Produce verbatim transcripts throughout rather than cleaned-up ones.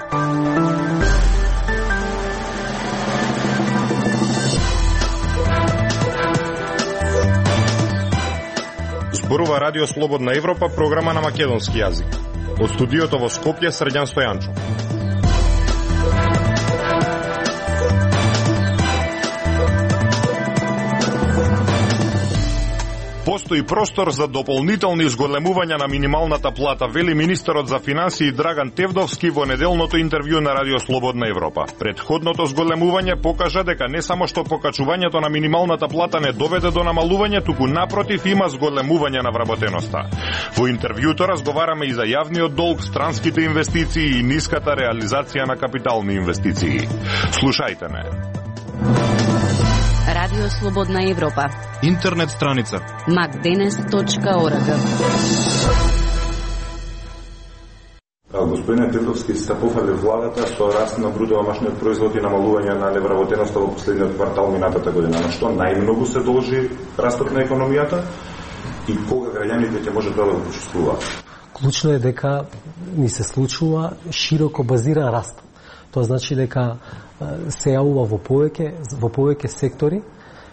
Зборува Радио Слободна Европа, програма на македонски јазик. Од студиото во Скопје, Срđan Стојанчов. Постои простор за дополнителни зголемувања на минималната плата, вели министерот за финансии Драган Тевдовски во неделното интервју на Радио Слободна Европа. Предходното зголемување покажа дека не само што покачувањето на минималната плата не доведе до намалување, туку напротив има зголемување на вработеноста. Во интервјуто разговараме и за јавниот долг, странските инвестиции и ниската реализација на капитални инвестиции. Слушајте ме. Радио Слободна Европа. Интернет страница макденес точка орг. Господине Тетовски, сте пофали владата со раст на бруто домашниот производ и намалување на невработеноста во последниот квартал минатата година. На што најмногу се должи растот на економијата и кога граѓаните ќе можат да го почувствуваат? Клучно е дека ни се случува широко базиран раст. Тоа значи дека се јавува во повеќе во повеќе сектори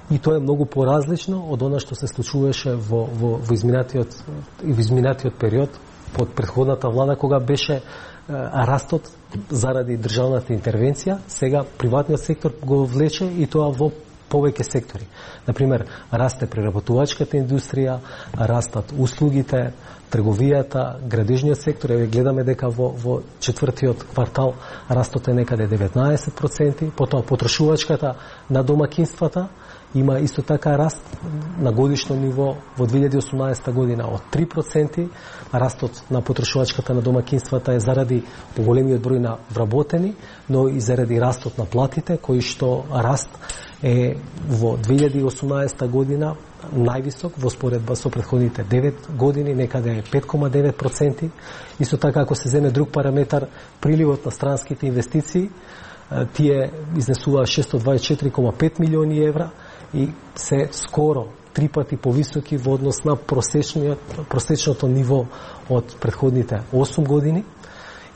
и тоа е многу поразлично од она што се случуваше во во во изминатиот во изминатиот период под претходната влада, кога беше растот заради државната интервенција. Сега приватниот сектор го влече и тоа во повеќе сектори. Например, расте преработувачката индустрија, растат услугите, трговијата, градежниот сектор. Еве гледаме дека во, во четвртиот квартал растот е некаде деветнаесет проценти, потоа потрошувачката на домакинствата има исто така раст на годишно ниво во две илјади и осумнаесета година од три проценти. Растот на потрошувачката на домакинствата е заради поголемиот број на вработени, но и заради растот на платите, кои што раст е во две илјади и осумнаесета година највисок во споредба со претходните девет години, некаде е пет кoma девет проценти. Исто така, ако се земе друг параметар, приливот на странските инвестиции, тие изнесуваа шестстотини дваесет и четири кoma пет милиони евра и се скоро три пати повисоки во однос на просечниот, просечното ниво од претходните осум години.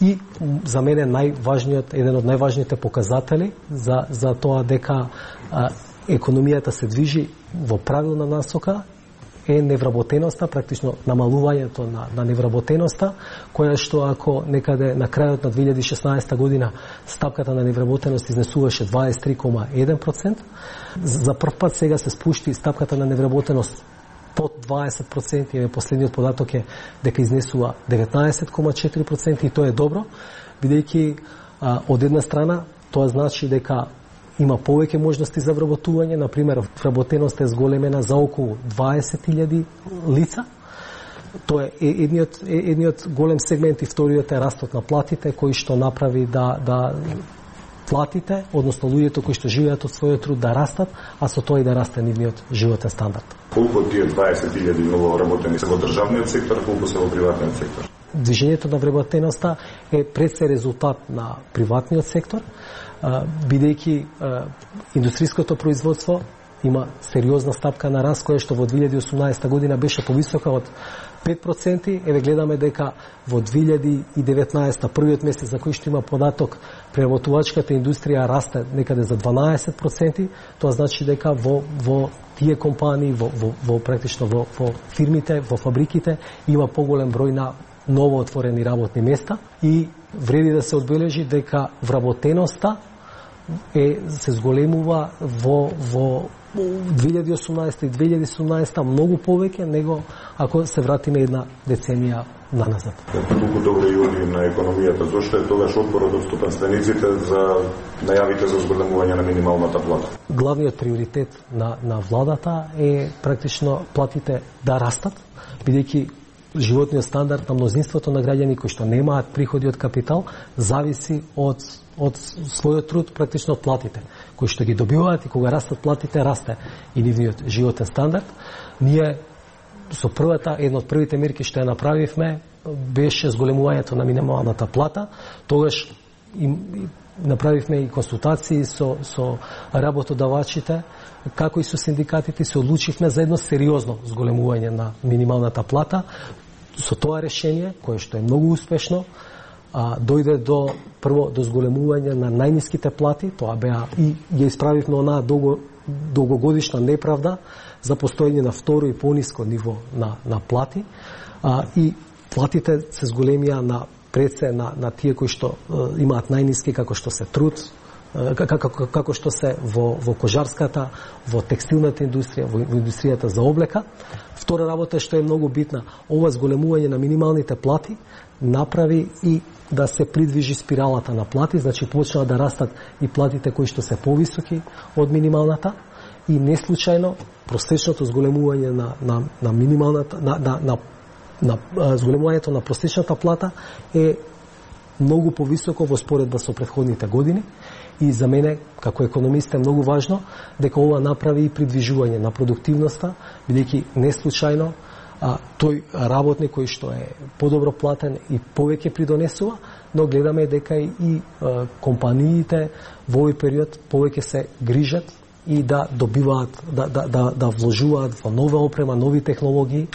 И за мене најважниот, еден од најважните показатели за, за тоа дека а, економијата се движи во правилна насока е невработеноста, практично намалувањето на, на невработеноста, која што ако некаде на крајот на две илјади и шеснаесета година стапката на невработеност изнесуваше дваесет и три кoma еден проценти, за прв пат сега се спушти стапката на невработеност под дваесет проценти, еве последниот податок е дека изнесува деветнаесет кoma четири проценти и тоа е добро, бидејќи а, од една страна тоа значи дека има повеќе можности за вработување. Например, вработеноста е зголемена за околу дваесет илјади лица. Тоа е едниот, едниот голем сегмент и вториот е растот на платите, кој што направи да, да платите, односно луѓето кои што живеат од својот труд да растат, а со тоа и да расте нивниот животен стандард. Колку од тие дваесет илјади нововработени се во државниот сектор, колку се во приватниот сектор? Движењето на вработеноста е пред се резултат на приватниот сектор, бидејќи индустриското производство има сериозна стапка на раст, која што во две илјади и осумнаесета година беше повисока од пет проценти. Еве гледаме дека во две илјади и деветнаесета, првиот месец за кој што има податок, преработувачката индустрија расте некаде за дванаесет проценти. Тоа значи дека во, во тие компании, во, во, во практично во, во фирмите, во фабриките има поголем број на ново отворени работни места и вреди да се одбележи дека вработеноста е се зголемува во во две илјади и осумнаесета и две илјади и седумнаесета многу повеќе него ако се вратиме една деценија наназад. Колку добри јуни на економијата, зошто е тогаш отпорот од стопанствениците за најавите за зголемување на минималната плата? Главниот приоритет на на владата е практично платите да растат, бидејќи животниот стандард на мнозинството на граѓани кои што немаат приходи од капитал зависи од од својот труд, практично од платите кои што ги добиваат, и кога растат платите, расте и нивниот животен стандард. Ние со првата, една од првите мерки што ја направивме беше зголемувањето на минималната плата. Тогаш им направивме и консултации со со работодавачите, како и со синдикатите, се одлучивме за едно сериозно зголемување на минималната плата. Со тоа решение, кое што е многу успешно, а, дојде до прво до зголемување на најниските плати, тоа беа и ја исправивме онаа долго долгогодишна неправда за постоење на второ и пониско ниво на на плати, а, и платите се зголемија на пред се на на тие кои што е, имаат најниски, како што се труд, како како што се во во кожарската, во текстилната индустрија, во, во индустријата за облека. Втора работа што е многу битна, ова зголемување на минималните плати направи и да се придвижи спиралата на плати, значи почнаа да растат и платите кои што се повисоки од минималната, и не случајно просечното зголемување на на на минималната на на на, на, на зголемувањето на просечната плата е многу повисоко во споредба со претходните години. И за мене, како економист, е многу важно дека ова направи и придвижување на продуктивноста, бидејќи не случајно а, тој работник кој што е подобро платен и повеќе придонесува, но гледаме дека и а, компаниите во овој период повеќе се грижат и да добиваат, да, да, да, да вложуваат во нова опрема, нови технологии,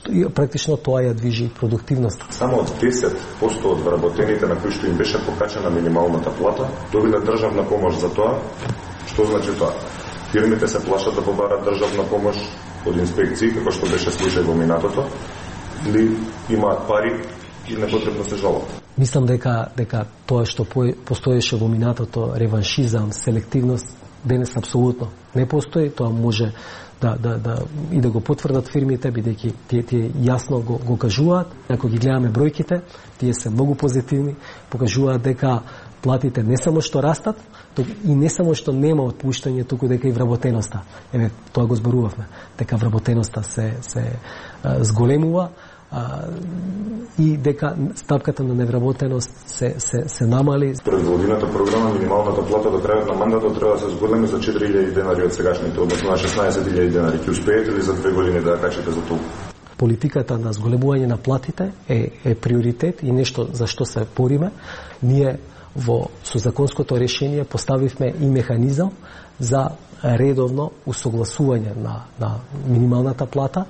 и практично тоа ја движи продуктивноста. Само од десет проценти од вработените на кои што им беше покачена минималната плата добиле државна помош за тоа. Што значи тоа? Фирмите се плашат да побарат државна помош од инспекции, како што беше случај во минатото, или имаат пари и непотребно се жалат? Мислам дека дека тоа што постоеше во минатото, реваншизам, селективност, денес апсолутно не постои. Тоа може да, да, да, и да го потврдат фирмите, бидејќи тие, тие јасно го, го кажуваат. Ако ги гледаме бројките, тие се многу позитивни, покажуваат дека платите не само што растат, и не само што нема отпуштање, туку дека и вработеноста. Еве, тоа го зборувавме, дека вработеноста се, се а, зголемува, а, и дека стапката на невработеност се, се, се намали. Според Владината програма, минималната плата до крајот на мандатот треба да се зголеми за четири илјади денари од сегашните, односно на шеснаесет илјади денари. Ќе успеете ли за две години да ја качите за толку? Политиката на зголемување на платите е, е приоритет и нешто за што се бориме. Ние во со законското решение поставивме и механизам за редовно усогласување на, на минималната плата,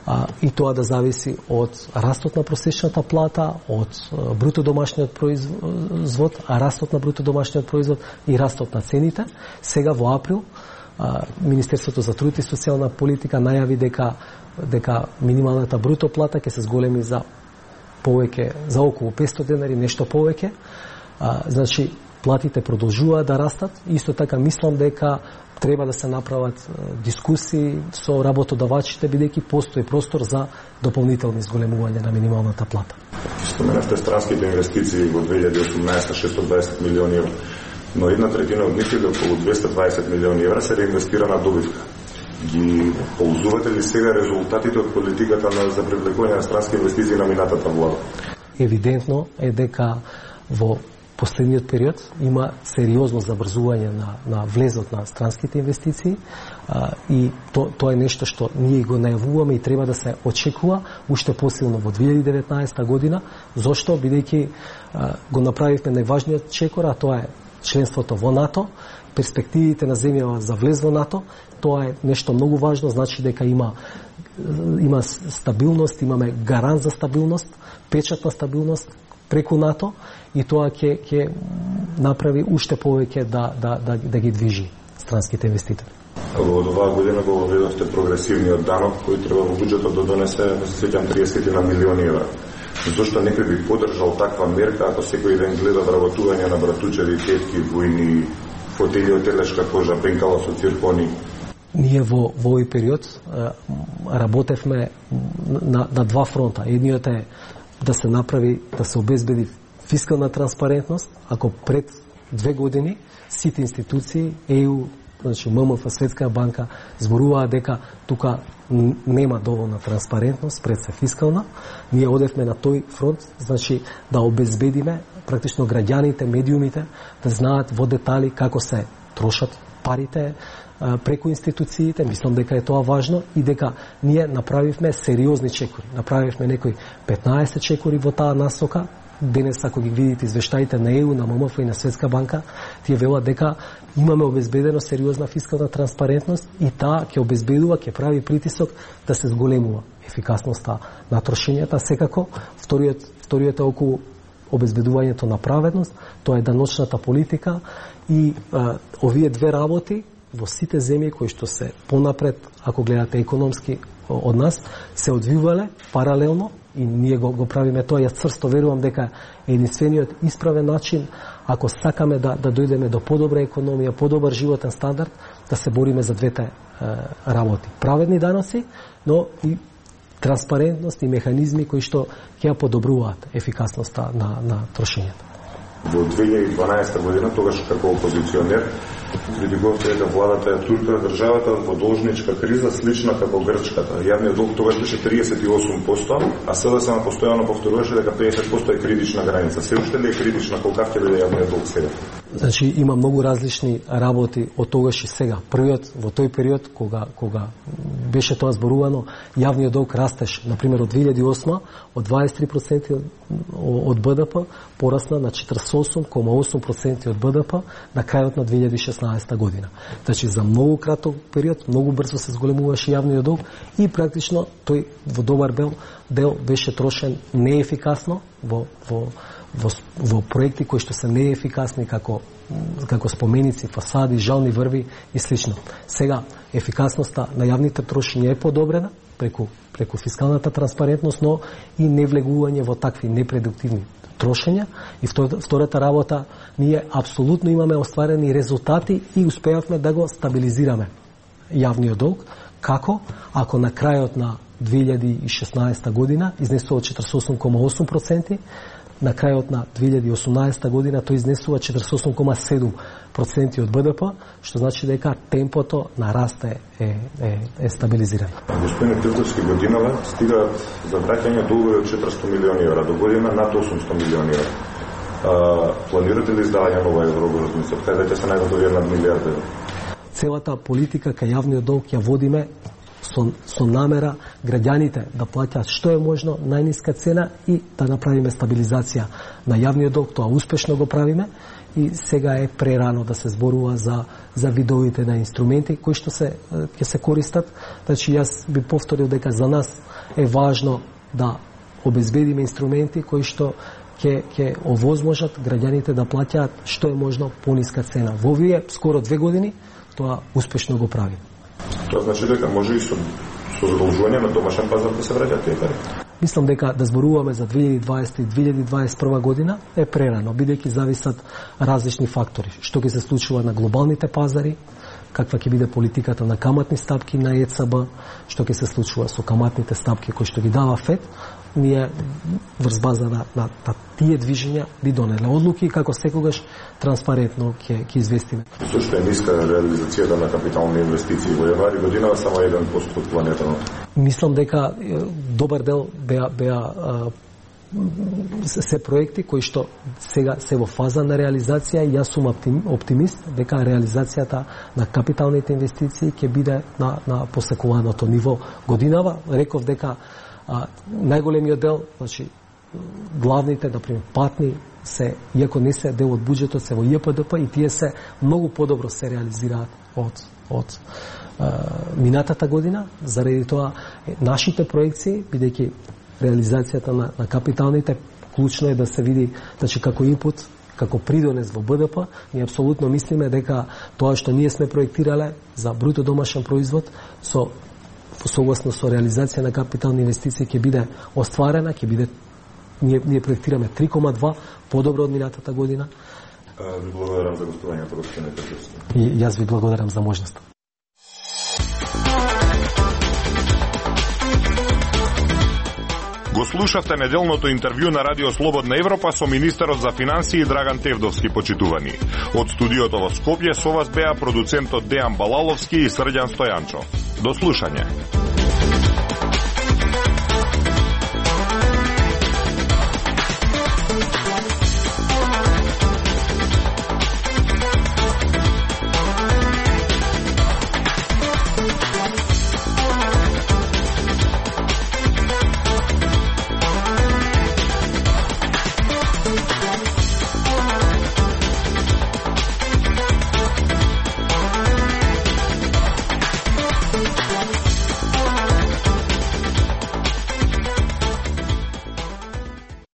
а, и тоа да зависи од растот на просечната плата, од бруто домашниот производ, а растот на бруто домашниот производ и растот на цените. Сега во април а, Министерството за труд и социјална политика најави дека дека минималната бруто плата ќе се зголеми за повеќе, за околу петстотини денари, нешто повеќе. А, значи, платите продолжуваат да растат. Исто така мислам дека треба да се направат дискусии со работодавачите, бидејќи постои простор за дополнителни зголемување на минималната плата. Споменавте странските инвестиции во две илјади и осумнаесета шестстотини и дваесет милиони евра, но една третина од нив, околу двесте и дваесет милиони евра, се реинвестира на добивка. Ги ползувате ли сега резултатите од политиката на за привлекување на странски инвестиции на минатата влада? Евидентно е дека во последниот период има сериозно забрзување на, на влезот на странските инвестиции, а, и то, тоа е нешто што ние го најавуваме и треба да се очекува уште посилно во две илјади и деветнаесета година. Зошто? Бидејќи а, го направивме најважниот чекор, а тоа е членството во НАТО, перспективите на земјава за влез во НАТО. Тоа е нешто многу важно, значи дека има има стабилност, имаме гарант за стабилност, печат на стабилност преку НАТО, и тоа ќе ќе направи уште повеќе да да да да ги движи странските инвеститори. Во оваа година го введовте прогресивниот данок кој треба во буџетот да донесе, да се сеќам, триесет на милиони евра. Зошто некој би поддржал таква мерка ако секој ден гледа вработување на братучеви, тетки, војни, фотели од телешка кожа, пенкала со циркони? Ние во во овој период а, работевме на на два фронта. Едниот е да се направи, да се обезбеди фискална транспарентност. Ако пред две години сите институции, Е Ю, значи М М Ф, Светска банка, зборуваа дека тука нема доволна транспарентност, пред се фискална, ние одевме на тој фронт, значи да обезбедиме практично граѓаните, медиумите да знаат во детали како се трошат парите преку институциите. Мислам дека е тоа важно и дека ние направивме сериозни чекори. Направивме некои петнаесет чекори во таа насока. Денес, ако ги видите извештаите на Е Ю, на М М Ф и на Светска банка, тие велат дека имаме обезбедено сериозна фискална транспарентност и таа ќе обезбедува, ќе прави притисок да се зголемува ефикасноста на трошењата. Секако, вториот, вториот е околу обезбедувањето на праведност, тоа е даночната политика и а, овие две работи во сите земји кои што се понапред, ако гледате економски од нас, се одвивале паралелно и ние го, го правиме тоа. Јас цврсто верувам дека е единствениот исправен начин, ако сакаме да, да дојдеме до подобра економија, подобар животен стандард, да се бориме за двете е, работи. Праведни даноци, но и транспарентност и механизми кои што ќе ја подобруваат ефикасноста на, на трошењето. Во две илјади и дванаесета година, тогаш како опозиционер, критикувавте дека владата ја турка државата во должничка криза слична како грчката. Јавниот долг тогаш беше триесет и осум проценти, а сега само постојано повторуваше дека педесет проценти е критична граница. Се уште ли е критична, колкав ќе биде јавниот долг сега? Значи има многу различни работи од тогаш и сега. Првиот во тој период кога кога беше тоа зборувано, јавниот долг растеше, на пример од две илјади и осма од дваесет и три проценти од БДП порасна на четиридесет и осум кома осум проценти од БДП на крајот на две илјади и шеснаесета година. Значи за многу краток период, многу брзо се зголемуваше јавниот долг и практично тој во добар дел, дел беше трошен неефикасно во во во, во проекти кои што се неефикасни како како споменици, фасади, жални врви и слично. Сега ефикасноста на јавните трошења е подобрена преку преку фискалната транспарентност, но и невлегување во такви непродуктивни трошења. И втората работа, ние апсолутно имаме остварени резултати и успеавме да го стабилизираме јавниот долг. Како? Ако на крајот на две илјади и шеснаесета година изнесува четиридесет и осум кома осум проценти, на крајот на две илјади и осумнаесета година тој изнесува четиридесет и осум кома седум проценти од БДП, што значи дека темпото на раст е, е, е, е стабилизирано. Господин Тевдовски, годинава стигаат за враќање долгови од четиристо милиони евра, до година над осумсто милиони евра. А, планирате ли издавање нова еврообврзница? Кај веќе се најдат овие над милиарда евра? Целата политика кај јавниот долг ја водиме со, со намера граѓаните да плаќаат што е можно најниска цена и да направиме стабилизација на јавниот долг. Тоа успешно го правиме и сега е прерано да се зборува за за видовите на инструменти кои што се ќе се користат. Значи јас би повторил дека за нас е важно да обезбедиме инструменти кои што ќе ќе овозможат граѓаните да плаќаат што е можно пониска цена. Во овие скоро две години тоа успешно го прави. Тоа значи дека може и со, со задолжување на домашен пазар да се враќаат тие пари? Мислам дека да зборуваме за две илјади и дваесета и две илјади дваесет и прва година е прерано, бидејќи зависат различни фактори. Што ќе се случува на глобалните пазари, каква ќе биде политиката на каматни стапки на ЕЦБ, што ќе се случува со каматните стапки кои што ги дава ФЕД. Ние врз база на, на, на тие движења би донеле одлуки како секогаш транспарентно ќе ќе известиме. Што што е ниска реализацијата на капитални инвестиции во јануари година само еден процент од планетано. Мислам дека добар дел беа беа се проекти кои што сега се во фаза на реализација и јас сум оптимист дека реализацијата на капиталните инвестиции ќе биде на на посекуваното ниво годинава. Реков дека а, најголемиот дел, значи главните, например, патни се, иако не се дел од буџетот, се во ЈПДП и тие се многу подобро се реализираат од од а, минатата година. Заради тоа нашите проекции, бидејќи реализацијата на, на капиталните, клучно е да се види, значи како инпут, како придонес во БДП, ние апсолутно мислиме дека тоа што ние сме проектирале за бруто домашен производ со согласно со реализација на капитални инвестиции ќе биде остварена, ќе биде ние, ние проектираме три кома два подобро од минатата година. Ви благодарам за гостувањето, господин Тевдовски. И јас ви благодарам за можноста. Го слушавте неделното интервју на Радио Слободна Европа со министерот за финансии Драган Тевдовски, почитувани. Од студиото во Скопје со вас беа продуцентот Дејан Балаловски и Срđan Стојанчов. До слушање.